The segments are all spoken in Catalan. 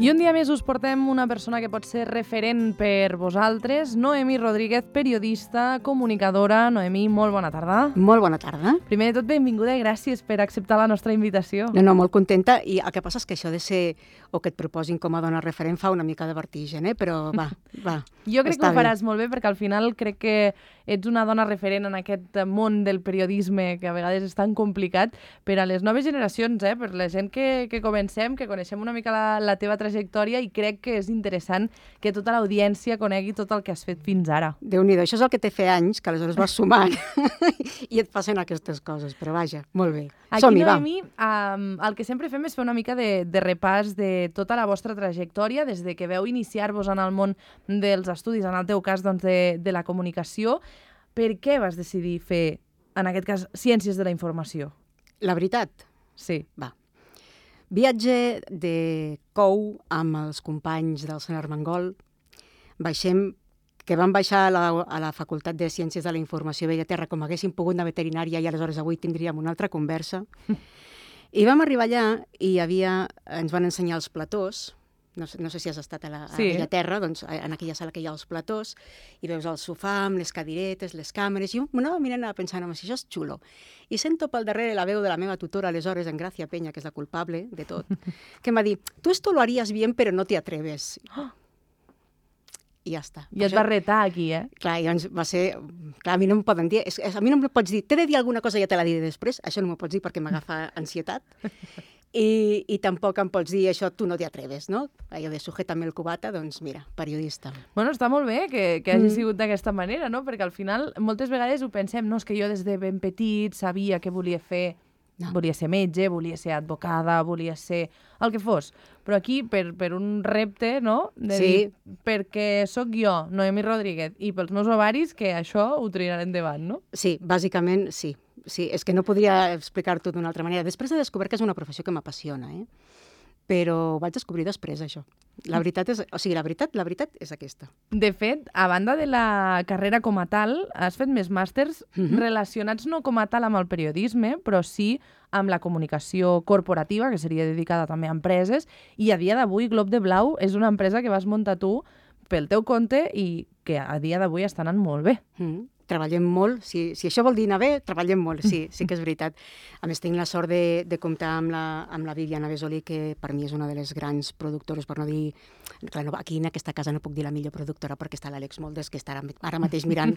I un dia més us portem una persona que pot ser referent per vosaltres, Noemí Rodríguez, periodista, comunicadora. Noemí, molt bona tarda. Molt bona tarda. Primer de tot, benvinguda i gràcies per acceptar la nostra invitació. No, molt contenta. I el que passa és que això de ser, o que et proposin com a dona referent, fa una mica de vertigen, però va. Jo crec que ho faràs molt bé, perquè al final crec que ets una dona referent en aquest món del periodisme, que a vegades és tan complicat, per a les noves generacions, per la gent que comencem, que coneixem una mica la teva trajectòria, i crec que és interessant que tota l'audiència conegui tot el que has fet fins ara. Déu-n'hi-do, això és el que té fer anys, que aleshores vas sumant i et passen aquestes coses, però vaja, molt bé. Som-hi, Noemí, el que sempre fem és fer una mica de repàs de tota la vostra trajectòria, des de que veu iniciar-vos en el món dels estudis, en el teu cas doncs, de la comunicació. Per què vas decidir fer, en aquest cas, Ciències de la Informació? La veritat? Sí. Va. Viatge de Cou amb els companys del Sant Armengol. Que vam baixar a la Facultat de Ciències de la Informació a Bellaterra, com haguéssim pogut anar a veterinària, i aleshores avui tindríem una altra conversa. I vam arribar allà i ens van ensenyar els platós. No sé si has estat a Bellaterra, doncs en aquella sala que hi ha els platós, i veus el sofà amb les cadiretes, les càmeres, i jo m'anava mirant i pensant, si això és xulo. I sento pel darrere la veu de la meva tutora, aleshores, en Gràcia Peña, que és la culpable de tot, que em va dir, tu esto lo harías bien, pero no te atreves. I ja està. I et va retar aquí, Clar, llavors va ser... Clar, a mi no em poden dir... A mi no em pots dir, t'he de dir alguna cosa i ja te la diré després. Això no m'ho pots dir perquè m'agafa ansietat. I tampoc em pots dir això, tu no t'hi atreves, no? Allò de sujétame el cubata, doncs mira, periodista. Bueno, està molt bé que hagi sigut d'aquesta manera, no? Perquè al final moltes vegades ho pensem, no, és que jo des de ben petit sabia què volia fer. No. Volia ser metge, volia ser advocada, volia ser el que fos. Però aquí, per un repte, no? De dir, perquè sóc jo, Noemí Rodríguez, i pels meus ovaris, que això ho tiraré endavant, no? Sí, bàsicament sí. Sí, és que no podria explicar-t'ho d'una altra manera. Després he descobert que és una professió que m'apassiona, però ho vaig descobrir després, això. La veritat és aquesta. De fet, a banda de la carrera com a tal, has fet més màsters relacionats no com a tal amb el periodisme, però sí amb la comunicació corporativa, que seria dedicada també a empreses, i a dia d'avui Glob de Blau és una empresa que vas muntar tu pel teu compte i que a dia d'avui està anant molt bé. Treballem molt, si això vol dir anar bé, treballem molt, sí que és veritat. A més, tinc la sort de comptar amb la Viviana Besolí, que per mi és una de les grans productores, per no dir... Clar, aquí en aquesta casa no puc dir la millor productora perquè està l'Àlex Moldes, que està ara mateix mirant,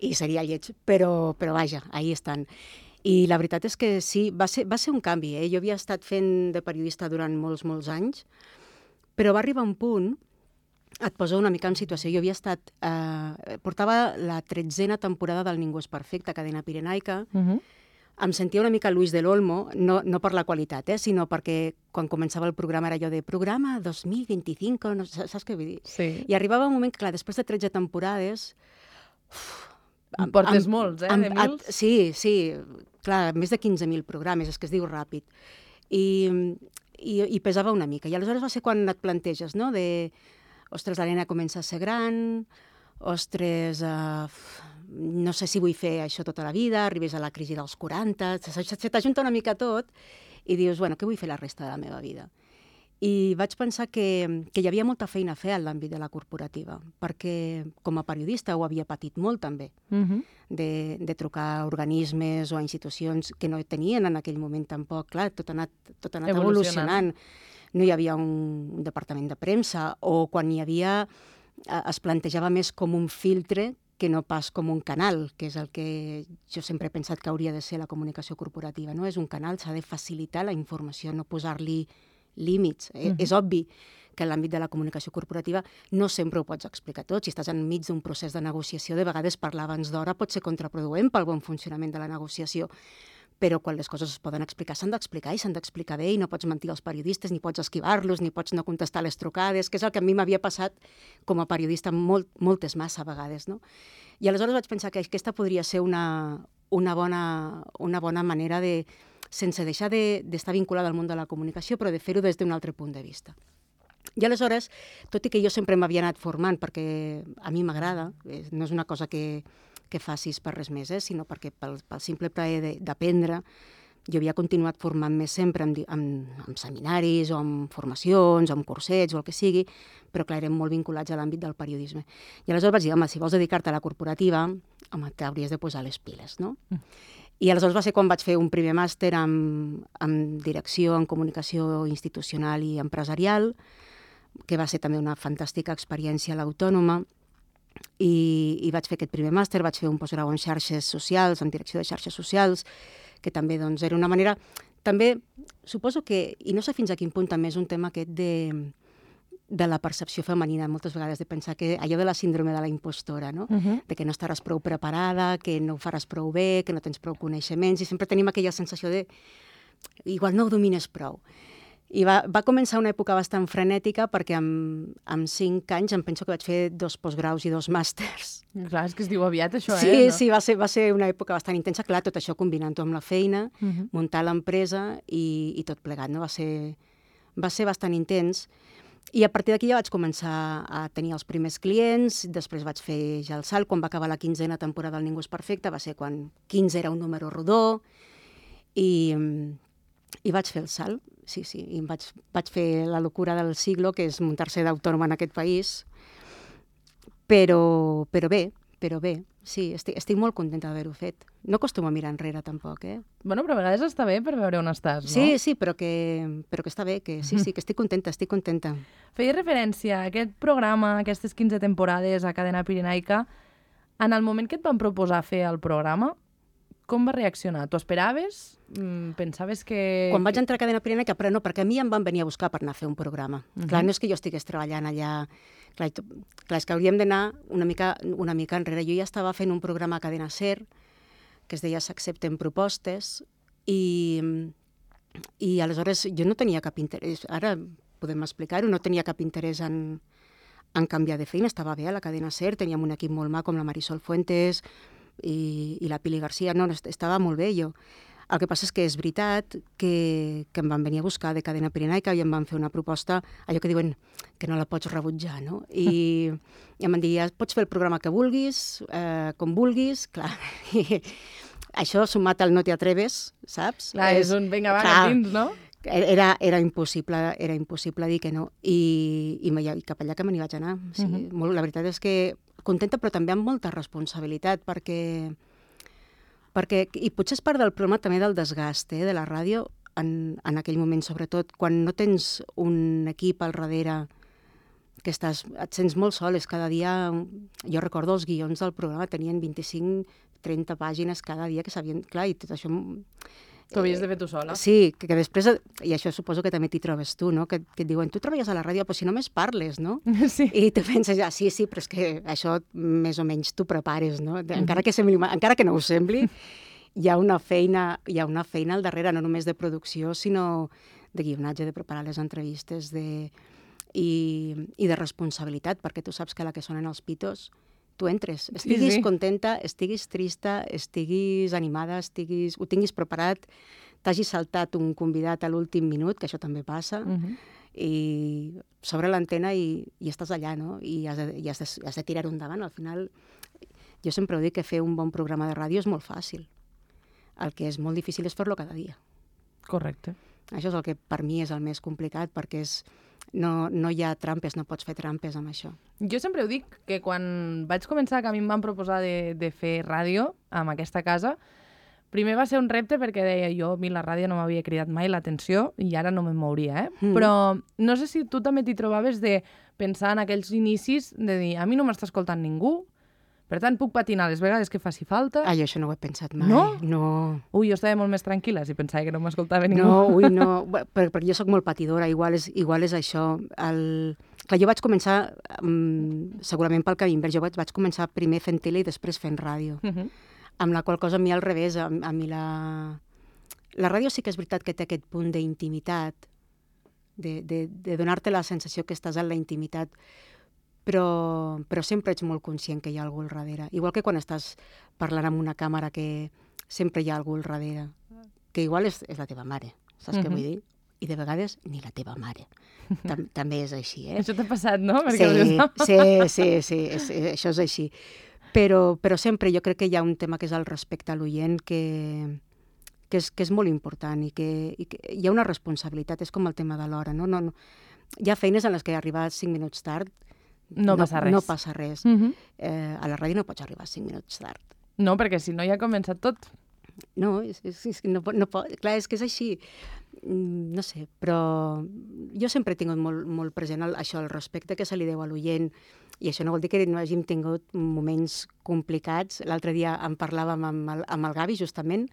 i seria lleig, però vaja, ahí estan. I la veritat és que sí, va ser un canvi. Jo havia estat fent de periodista durant molts anys, però va arribar un punt... Et poso una mica en situació. Jo havia estat... portava la 13a temporada del Ningú és perfecte, cadena pirenaica. Em sentia una mica Luis del Olmo, no per la qualitat, sinó perquè quan començava el programa era allò de programa 2025, no, saps què vull dir? Sí. I arribava un moment que, clar, després de 13 temporades... En portes molts, de mils? Sí, clar, més de 15.000 programes, és que es diu ràpid. I pesava una mica. I aleshores va ser quan et planteges, no?, ostres, la nena comença a ser gran, ostres, no sé si vull fer això tota la vida, arribes a la crisi dels 40, se t'ajunta una mica tot i dius, bueno, què vull fer la resta de la meva vida? I vaig pensar que hi havia molta feina a fer en l'àmbit de la corporativa, perquè com a periodista ho havia patit molt també, de trucar a organismes o a institucions que no tenien en aquell moment tampoc. Clar, tot ha anat evolucionant. No hi havia un departament de premsa, o quan hi havia es plantejava més com un filtre que no pas com un canal, que és el que jo sempre he pensat que hauria de ser la comunicació corporativa. No és un canal, s'ha de facilitar la informació, no posar-li límits. És obvi que en l'àmbit de la comunicació corporativa no sempre ho pots explicar tot. Si estàs enmig d'un procés de negociació, de vegades parlar abans d'hora pot ser contraproduent pel bon funcionament de la negociació. Però quan les coses es poden explicar, s'han d'explicar i s'han d'explicar bé, i no pots mentir als periodistes, ni pots esquivar-los, ni pots no contestar les trucades, que és el que a mi m'havia passat com a periodista moltes massa vegades, no? I aleshores vaig pensar que aquesta podria ser una bona manera de, sense deixar d'estar vinculada al món de la comunicació, però de fer-ho des d'un altre punt de vista. I aleshores, tot i que jo sempre m'havia anat formant, perquè a mi m'agrada, no és una cosa que facis per res més, sinó perquè pel simple plaer d'aprendre, Jo havia continuat formant-me sempre en seminaris o en formacions o en cursets o el que sigui, però clar, érem molt vinculats a l'àmbit del periodisme. I aleshores vaig dir, home, si vols dedicar-te a la corporativa, home, t'hauries de posar les piles, no? I aleshores va ser quan vaig fer un primer màster en direcció, en comunicació institucional i empresarial, que va ser també una fantàstica experiència a l'Autònoma, i vaig fer aquest primer màster, vaig fer un postgrau en xarxes socials, en direcció de xarxes socials, que també doncs, era una manera... També suposo que, i no sé fins a quin punt també és un tema aquest de la percepció femenina, moltes vegades, de pensar que allò de la síndrome de la impostora, no? De que no estaràs prou preparada, que no ho faràs prou bé, que no tens prou coneixements, i sempre tenim aquella sensació de igual no ho domines prou. I va començar una època bastant frenètica perquè amb 5 anys em penso que vaig fer 2 postgraus i 2 màsters. Clar, és que es diu aviat això, sí, no? Sí, va ser una època bastant intensa, clar, tot això combinant-ho amb la feina, muntar l'empresa i tot plegat, no? Va ser bastant intens. I a partir d'aquí ja vaig començar a tenir els primers clients, després vaig fer ja el salt, quan va acabar la 15a temporada del Ningú és perfecte, va ser quan 15 era un número rodó, i vaig fer el salt, sí, i vaig fer la locura del siglo, que és muntar-se d'autònoma en aquest país, però bé, sí, estic molt contenta d'haver-ho fet. No acostumo a mirar enrere, tampoc, eh? Bueno, però a vegades està bé per veure on estàs, no? Sí, però que està bé, que sí, que estic contenta. Feia referència a aquest programa, a aquestes 15 temporades a Cadena Pirenaica. En el moment que et van proposar fer el programa, com va reaccionar? T'ho esperaves? Pensaves que... Quan vaig entrar a Cadena Pirenaica, però no, perquè a mi em van venir a buscar per anar a fer un programa. Clar, no és que jo estigués treballant allà... Clar, és que hauríem d'anar una mica enrere. Jo ja estava fent un programa a Cadena SER, que es deia S'accepten propostes, i aleshores jo no tenia cap interès, ara podem explicar-ho, no tenia cap interès en canviar de feina, estava bé a la Cadena SER, teníem un equip molt maco com la Marisol Fuentes i la Pili Garcia, no, estava molt bé jo. El que passa és que és veritat que em van venir a buscar de Cadena Pirenaica i em van fer una proposta, allò que diuen que no la pots rebutjar, no? I em van dir, pots fer el programa que vulguis, com vulguis, clar. I això sumat al no te atreves, saps? Clar, és un vinga, va, cap dins, no? Era impossible dir que no. I cap allà que me n'hi vaig anar. Sí, la veritat és que contenta, però també amb molta responsabilitat, perquè i potser és part del problema també del desgast de la ràdio en aquell moment, sobretot quan no tens un equip al darrere que et sents molt sol, és cada dia... Jo recordo els guions del programa, tenien 25-30 pàgines cada dia que sabien... Clar, i tot això... T'ho havies de fer tu sola. Sí, que després, i això suposo que també t'hi trobes tu, no? Que et diuen, tu treballes a la ràdio, però si només parles, no? Sí. I tu penses, sí, però és que això més o menys t'ho prepares, no? Encara que no ho sembli, hi ha una feina al darrere, no només de producció, sinó de guionatge, de preparar les entrevistes, i de responsabilitat, perquè tu saps que a la que sonen els pitos tu entres, estiguis contenta, estiguis trista, estiguis animada, ho tinguis preparat, t'hagis saltat un convidat a l'últim minut, que això també passa, i s'obre l'antena i estàs allà, no? I has de tirar-ho endavant. Al final, jo sempre ho dic, que fer un bon programa de ràdio és molt fàcil. El que és molt difícil és fer-lo cada dia. Correcte. Això és el que per mi és el més complicat, perquè no hi ha trampes, no pots fer trampes amb això. Jo sempre ho dic, que quan vaig començar, que a mi em van proposar de fer ràdio amb aquesta casa, primer va ser un repte perquè deia jo, a mi la ràdio no m'havia cridat mai l'atenció i ara no me'n mouria, Però no sé si tu també t'hi trobaves de pensar en aquells inicis, de dir, a mi no m'està escoltant ningú, per tant, puc patinar les vegades que faci falta. Jo això no ho he pensat mai. No? No. Ui, jo estava molt més tranquil·la si pensava que no m'escoltava ningú. No, perquè jo sóc molt patidora, igual és això. Clar, jo vaig començar, segurament pel camí invers, jo vaig començar primer fent tele i després fent ràdio. Amb la qual cosa a mi al revés, a mi la ràdio sí que és veritat que té aquest punt d'intimitat, de donar-te la sensació que estàs en la intimitat, però sempre ets molt conscient que hi ha algú al darrere. Igual que quan estàs parlant amb una càmera, que sempre hi ha algú al darrere, que igual és la teva mare, saps què vull dir? I de vegades ni la teva mare. També és així, Això t'ha passat, no? Sí, això és així. Però sempre jo crec que hi ha un tema que és el respecte a l'oient, que que és molt important i que hi ha una responsabilitat, és com el tema de l'hora, no? Hi ha feines en les que arribar 5 minuts tard no passa res. No passa res. A la ràdio no pots arribar 5 minuts tard. No, perquè si no ja ha començat tot. No, no pot, clar, és que és així. No sé, però jo sempre he tingut molt present això, el respecte que se li deu a l'oient, i això no vol dir que no hàgim tingut moments complicats. L'altre dia en parlàvem amb el Gavi, justament,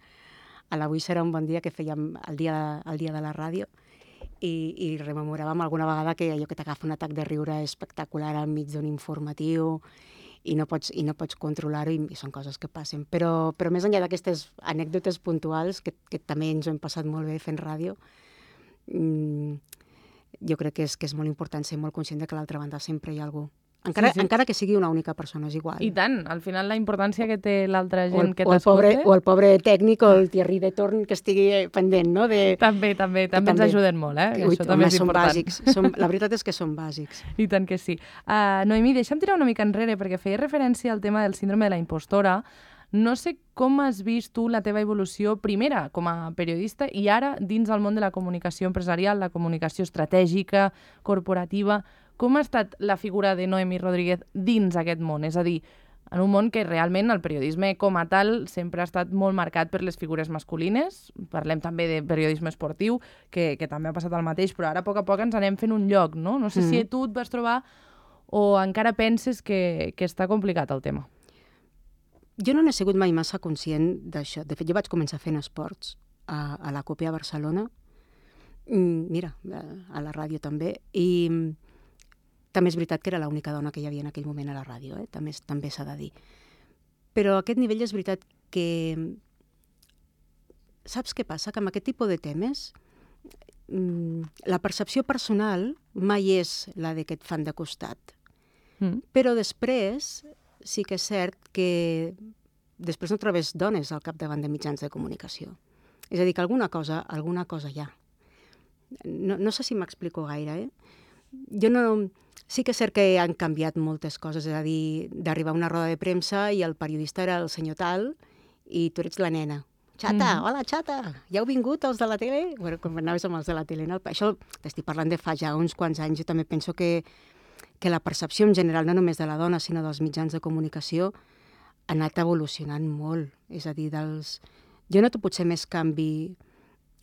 a l'Avui serà un bon dia, que fèiem el dia de la ràdio, i rememoràvem alguna vegada que allò que t'agafa un atac de riure espectacular enmig d'un informatiu, i no pots controlar-ho, i són coses que passen. Però més enllà d'aquestes anècdotes puntuals, que també ens ho hem passat molt bé fent ràdio, jo crec que és molt important ser molt conscient de que a l'altra banda sempre hi ha algú. Encara que sigui una única persona, és igual. I tant, al final la importància que té l'altra gent que t'escolta... O el pobre tècnic o el Thierry de Torn que estigui pendent, no? També ens ajuden molt, Això també és important. Bàsics. La veritat és que són bàsics. I tant que sí. Noemí, deixa'm tirar una mica enrere, perquè feia referència al tema del síndrome de la impostora. No sé com has vist tu la teva evolució, primera com a periodista i ara dins el món de la comunicació empresarial, la comunicació estratègica, corporativa. Com ha estat la figura de Noemí Rodríguez dins aquest món? És a dir, en un món que realment el periodisme com a tal sempre ha estat molt marcat per les figures masculines. Parlem també de periodisme esportiu, que també ha passat el mateix, però ara a poc ens anem fent un lloc, no? No sé si tu et vas trobar o encara penses que està complicat el tema. Jo no n'he sigut mai massa conscient d'això. De fet, jo vaig començar fent esports a la COPE a Barcelona, mira, a la ràdio també, i també és veritat que era l'única dona que hi havia en aquell moment a la ràdio, també s'ha de dir. Però a aquest nivell és veritat que... Saps què passa? Que amb aquest tipus de temes la percepció personal mai és la de que et fan de costat. Però després sí que és cert que després no trobes dones al capdavant de mitjans de comunicació. És a dir, que alguna cosa hi ha. No sé si m'explico gaire, Jo no... Sí que és cert que han canviat moltes coses, és a dir, d'arribar a una roda de premsa i el periodista era el senyor tal i tu ets la nena. Xata, hola xata, ja heu vingut els de la tele? Bueno, quan anaves amb els de la tele, no? Això t'estic parlant de fa ja uns quants anys. Jo també penso que la percepció en general, no només de la dona, sinó dels mitjans de comunicació, ha anat evolucionant molt. És a dir, jo noto potser més canvi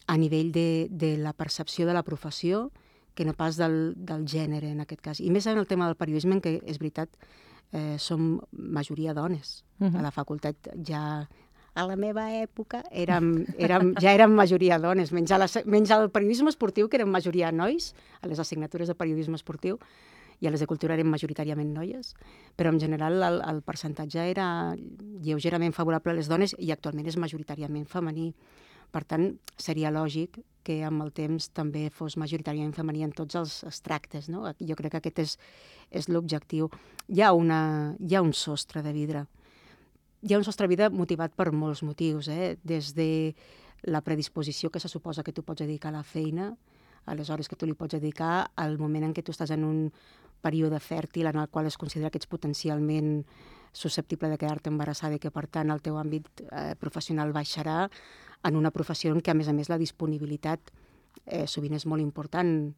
a nivell de la percepció de la professió que no pas del gènere, en aquest cas. I més en el tema del periodisme, en què, és veritat, som majoria dones. A la facultat ja... A la meva època ja érem majoria dones, menys al periodisme esportiu, que érem majoria nois, a les assignatures de periodisme esportiu, i a les de cultura eren majoritàriament noies, però en general el percentatge era lleugerament favorable a les dones i actualment és majoritàriament femení. Per tant, seria lògic que amb el temps també fos majoritàriament femení en tots els tractes, no? Jo crec que aquest és l'objectiu. Hi ha un sostre de vidre. Hi ha un sostre de vidre motivat per molts motius, des de la predisposició que se suposa que tu pots dedicar a la feina, a les hores que tu li pots dedicar, al moment en què tu estàs en un període fèrtil en el qual es considera que ets potencialment susceptible de quedar-te embarassada i que, per tant, el teu àmbit professional baixarà, en una professió en què, a més, la disponibilitat sovint és molt important.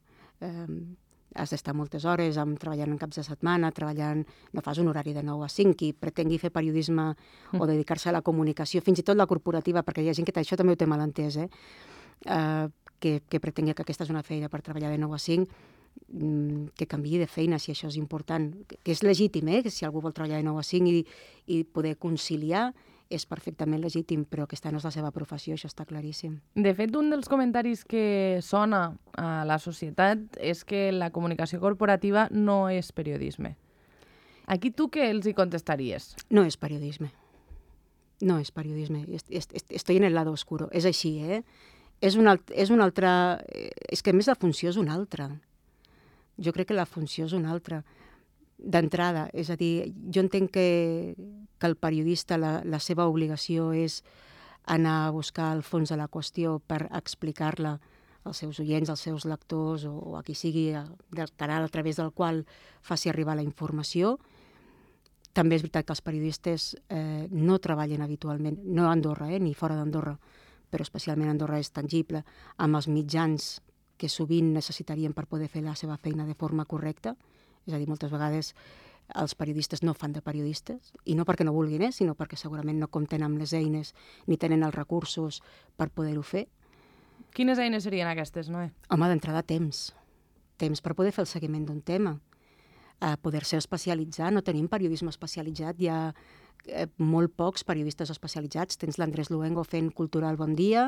Has d'estar moltes hores treballant en caps de setmana, no fas un horari de 9 a 5, qui pretengui fer periodisme o dedicar-se a la comunicació, fins i tot la corporativa, perquè hi ha gent que això també ho té mal entès, que pretengui que aquesta és una feina per treballar de 9 a 5, que canviï de feina si això és important, que és legítim, que si algú vol treballar de 9 a 5 i poder conciliar, és perfectament legítim, però aquesta no és la seva professió, això està claríssim. De fet, un dels comentaris que sona a la societat és que la comunicació corporativa no és periodisme. Aquí tu què els hi contestaries? No és periodisme. No és periodisme. Estoy en el lado oscuro. És així, És un altre... És que, a més, la funció és una altra. Jo crec que la funció és una altra. D'entrada, és a dir, jo entenc que el periodista, la seva obligació és anar a buscar el fons de la qüestió per explicar-la als seus oients, als seus lectors o a qui sigui del canal a través del qual faci arribar la informació. També és veritat que els periodistes no treballen habitualment, no a Andorra, ni fora d'Andorra, però especialment a Andorra és tangible, amb els mitjans que sovint necessitarien per poder fer la seva feina de forma correcta. És a dir, moltes vegades els periodistes no fan de periodistes, i no perquè no vulguin, sinó perquè segurament no compten amb les eines ni tenen els recursos per poder-ho fer. Quines eines serien aquestes, Noé? Home, d'entrada temps. Temps per poder fer el seguiment d'un tema. Poder-se especialitzar. No tenim periodisme especialitzat. Hi ha molt pocs periodistes especialitzats. Tens l'Andrés Luengo fent Cultural Bon Dia,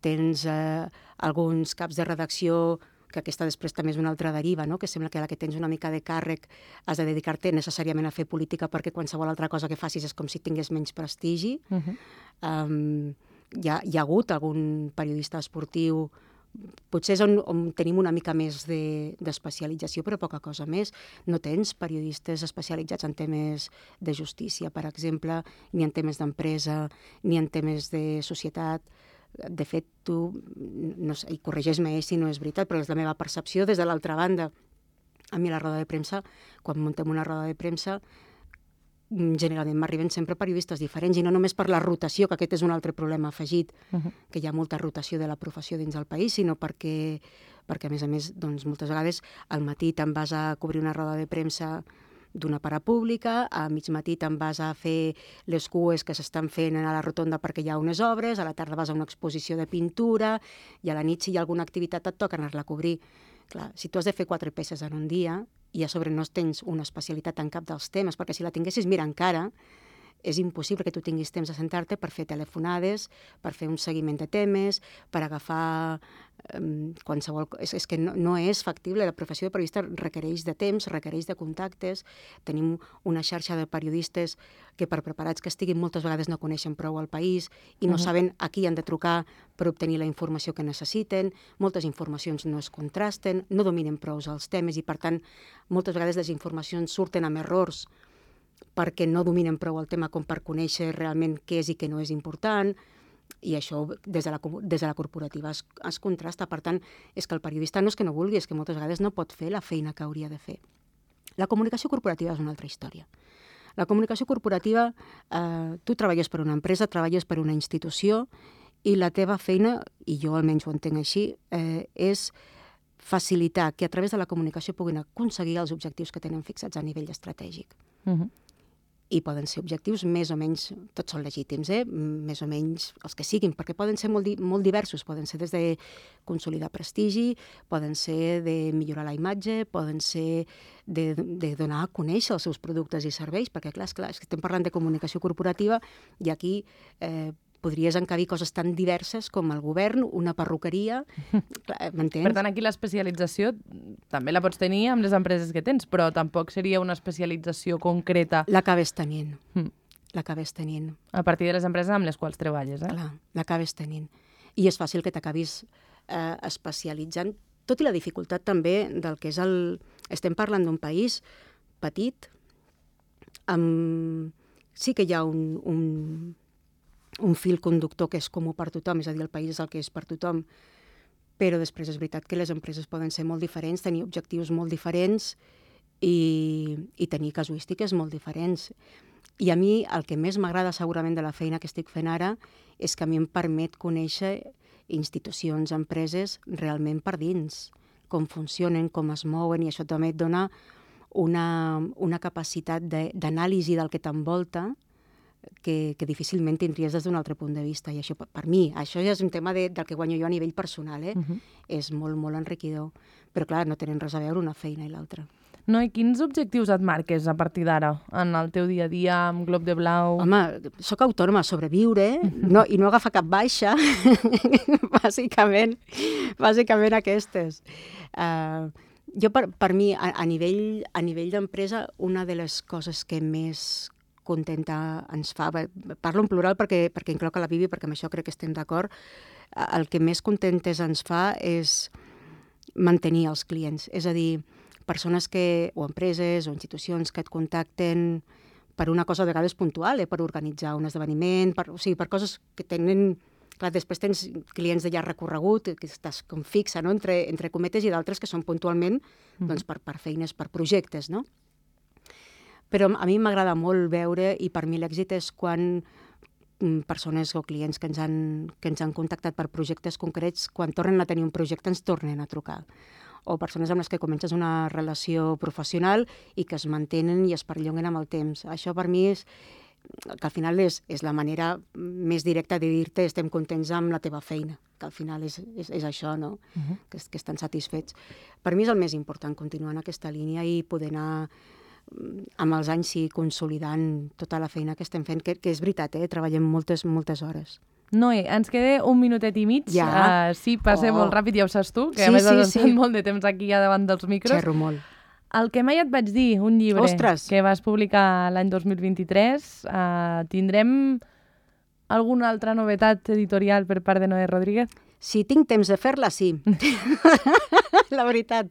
tens alguns caps de redacció, que aquesta després també és una altra deriva, no? Que sembla que a la que tens una mica de càrrec has de dedicar-te necessàriament a fer política perquè qualsevol altra cosa que facis és com si tingués menys prestigi. Hi ha hagut algun periodista esportiu, potser és on tenim una mica més d'especialització, però poca cosa més. No tens periodistes especialitzats en temes de justícia, per exemple, ni en temes d'empresa, ni en temes de societat. De fet, tu, no sé, i corregeix-me si no és veritat, però és la meva percepció des de l'altra banda. A mi a la roda de premsa, quan muntem una roda de premsa, generalment m'arriben sempre periodistes diferents, i no només per la rotació, que aquest és un altre problema afegit, que hi ha molta rotació de la professió dins del país, sinó perquè a més, doncs, moltes vegades al matí te'n vas a cobrir una roda de premsa d'una parapública, a mig matí te'n vas a fer les cues que s'estan fent a la rotonda perquè hi ha unes obres, a la tarda vas a una exposició de pintura, i a la nit, si hi ha alguna activitat, et toca anar-la a cobrir. Clar, si tu has de fer 4 peces en un dia i a sobre no tens una especialitat en cap dels temes, perquè si la tinguessis, mira, encara és impossible que tu tinguis temps de sentar-te per fer telefonades, per fer un seguiment de temes, per agafar qualsevol... És que no és factible. La professió de periodista requereix de temps, requereix de contactes. Tenim una xarxa de periodistes que, per preparats que estiguin, moltes vegades no coneixen prou el país i no saben a qui han de trucar per obtenir la informació que necessiten. Moltes informacions no es contrasten, no dominen prou els temes i, per tant, moltes vegades les informacions surten amb errors perquè no dominen prou el tema com per conèixer realment què és i què no és important, i això des de la corporativa es contrasta. Per tant, és que el periodista no és que no vulgui, és que moltes vegades no pot fer la feina que hauria de fer. La comunicació corporativa és una altra història. La comunicació corporativa, tu treballes per una empresa, treballes per una institució, i la teva feina, i jo almenys ho entenc així, és facilitar que a través de la comunicació puguin aconseguir els objectius que tenen fixats a nivell estratègic. I poden ser objectius més o menys, tots són legítims, més o menys els que siguin, perquè poden ser molt diversos, poden ser des de consolidar prestigi, poden ser de millorar la imatge, poden ser de donar a conèixer els seus productes i serveis, perquè clar, és que estem parlant de comunicació corporativa i aquí podries encabir coses tan diverses com el govern, una perruqueria, m'entens? Per tant, aquí l'especialització també la pots tenir amb les empreses que tens, però tampoc seria una especialització concreta. L'acabes tenint. L'acabes tenint. A partir de les empreses amb les quals treballes, Clar, l'acabes tenint. I és fàcil que t'acabis especialitzant, tot i la dificultat també del que és el... Estem parlant d'un país petit, sí que hi ha un fil conductor que és comú per tothom, és a dir, el país és el que és per tothom, però després és veritat que les empreses poden ser molt diferents, tenir objectius molt diferents i tenir casuístiques molt diferents. I a mi el que més m'agrada segurament de la feina que estic fent ara és que a mi em permet conèixer institucions, empreses realment per dins, com funcionen, com es mouen, i això també et dona una capacitat d'anàlisi del que t'envolta que difícilment tindries des d'un altre punt de vista. I això, per mi, això ja és un tema del que guanyo jo a nivell personal, és molt, molt enriquidor. Però, clar, no tenen res a veure una feina i l'altra. No, i quins objectius et marques a partir d'ara, en el teu dia a dia, amb Glob de Blau? Home, sóc autònoma a sobreviure, i no agafar cap baixa, bàsicament aquestes. Jo, per mi, a nivell d'empresa, una de les coses que més contenta ens fa, parlo en plural perquè incloc a la Bibi, perquè amb això crec que estem d'acord, el que més contentes ens fa és mantenir els clients, és a dir, persones o empreses o institucions que et contacten per una cosa a vegades puntual, per organitzar un esdeveniment, per coses que tenen... Clar, després tens clients de llarg recorregut, que estàs com fixa, no?, entre cometes, i d'altres que són puntualment per feines, per projectes, no? Però a mi m'agrada molt veure, i per mi l'èxit és quan persones o clients que ens han contactat per projectes concrets, quan tornen a tenir un projecte ens tornen a trucar. O persones amb les que comences una relació professional i que es mantenen i es perllonguen amb el temps. Això per mi que al final és la manera més directa de dir-te estem contents amb la teva feina, que al final és això, no? Que estan satisfets. Per mi és el més important, continuar en aquesta línia i poder anar amb els anys consolidant tota la feina que estem fent, que és veritat, treballem moltes hores. Noé, ens queda un minutet i mig. Ja? Sí, passa molt ràpid, ja ho saps tu, que a més has estat molt de temps aquí ja davant dels micros. Xerro molt. El que mai et vaig dir, un llibre que vas publicar l'any 2023, tindrem alguna altra novetat editorial per part de Noé Rodríguez? Si tinc temps de fer-la, sí. La veritat,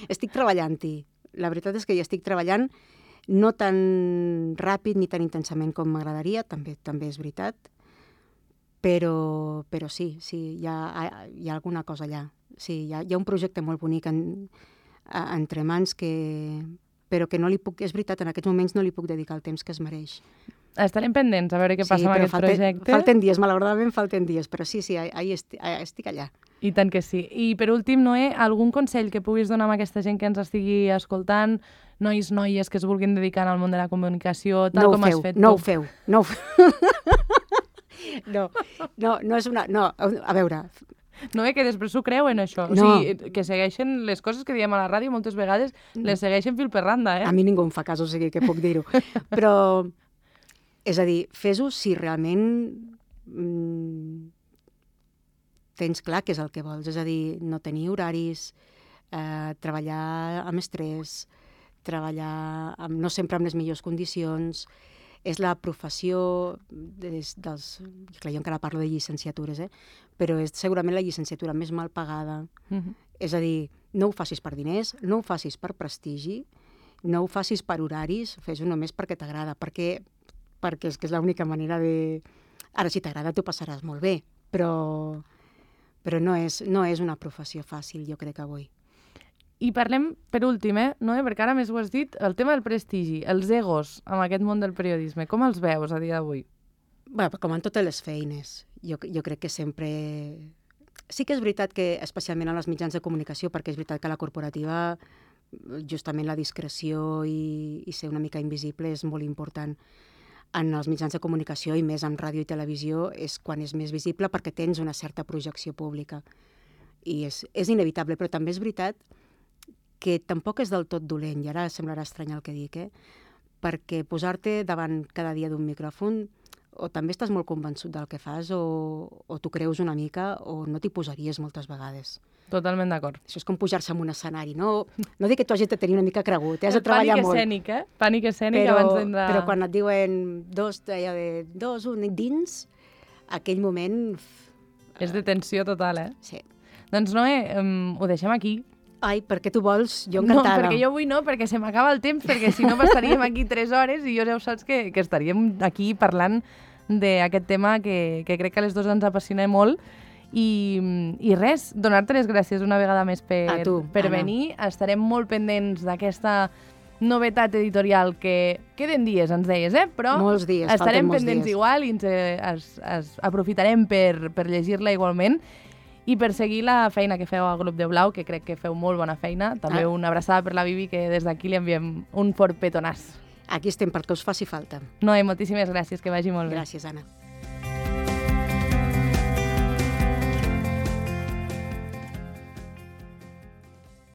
estic treballant-hi. La veritat és que hi estic treballant no tan ràpid ni tan intensament com m'agradaria, també és veritat, però sí, hi ha alguna cosa allà. Sí, hi ha un projecte molt bonic entre mans però que no li puc, és veritat, en aquests moments no li puc dedicar el temps que es mereix. Estarem pendents a veure què passa amb aquest projecte. Falten dies, malauradament falten dies, però sí, estic allà. I tant que sí. I per últim, Noé, algun consell que puguis donar a aquesta gent que ens estigui escoltant, nois, noies que es vulguin dedicar al món de la comunicació, tal com has fet tu? No ho feu. No és una... No, a veure... No, que després s'ho creuen, això. No. O sigui, que segueixen les coses que diem a la ràdio, moltes vegades les segueixen fil per randa, A mi ningú em fa cas, o sigui que puc dir-ho. Però, és a dir, fes-ho si realment tens clar què és el que vols. És a dir, no tenir horaris, treballar amb estrès, treballar no sempre amb les millors condicions. És la professió clar, jo encara parlo de llicenciatures, però és segurament la llicenciatura més mal pagada. És a dir, no ho facis per diners, no ho facis per prestigi, no ho facis per horaris, fes-ho només perquè t'agrada, perquè és que és l'única manera de... Ara, si t'agrada, t'ho passaràs molt bé, però no és una professió fàcil, jo crec, avui. I parlem, per últim, Noé, perquè ara més ho has dit, el tema del prestigi, els egos en aquest món del periodisme, com els veus a dia d'avui? Bé, com en totes les feines, jo crec que sempre... Sí que és veritat que, especialment en els mitjans de comunicació, perquè és veritat que a la corporativa justament la discreció i ser una mica invisible és molt important. En els mitjans de comunicació, i més en ràdio i televisió, és quan és més visible perquè tens una certa projecció pública. I és inevitable, però també és veritat que tampoc és del tot dolent, i ara semblarà estrany el que dic, perquè posar-te davant cada dia d'un micròfon o també estàs molt convençut del que fas o t'ho creus una mica o no t'hi posaries moltes vegades. Totalment d'acord. Això és com pujar-se en un escenari. No dic que tu hagis de tenir una mica cregut, has de treballar molt. Pànic escènic, Pànic escènic abans d'entrar... Però quan et diuen dos, un dins, aquell moment... És de tensió total, Sí. Doncs Noé, ho deixem aquí. Ai, per què tu vols? Jo encantada. No, perquè jo avui no, perquè se m'acaba el temps, perquè si no estaríem aquí 3 hores i ja ho saps que estaríem aquí parlant d'aquest tema que crec que a les dues ens apassiona molt. I res, donar-te les gràcies una vegada més per venir. Estarem molt pendents d'aquesta novetat editorial que queden dies, ens deies, però molts dies, estarem pendents igual i ens aprofitarem per llegir-la igualment. I per seguir la feina que feu al Grup de Blau, que crec que feu molt bona feina. També una abraçada per la Bibi, que des d'aquí li enviem un fort petonàs. Aquí estem perquè us faci falta. Noé, moltíssimes gràcies, que vagi molt bé. Gràcies, Anna.